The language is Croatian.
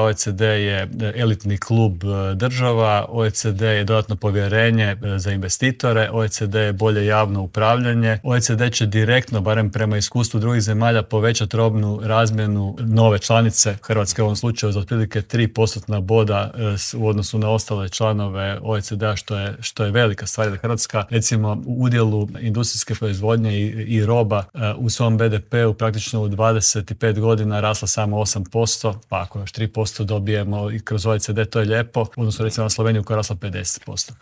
OECD je elitni klub država, OECD je dodatno povjerenje za investitore, OECD je bolje javno upravljanje, OECD će direktno, barem prema iskustvu drugih zemalja, povećati robnu razmjenu nove članice, Hrvatske u ovom slučaju, za otprilike 3% boda u odnosu na ostale članove OECD-a, što je velika stvar. Hrvatska, recimo, u udjelu industrijske proizvodnje i roba u svom BDP-u praktično u 25 godina rasla samo 8%, pa ako još 3% dobijemo i kroz OECD, to je lijepo, odnosno recimo na Sloveniju koja je rasla 50%.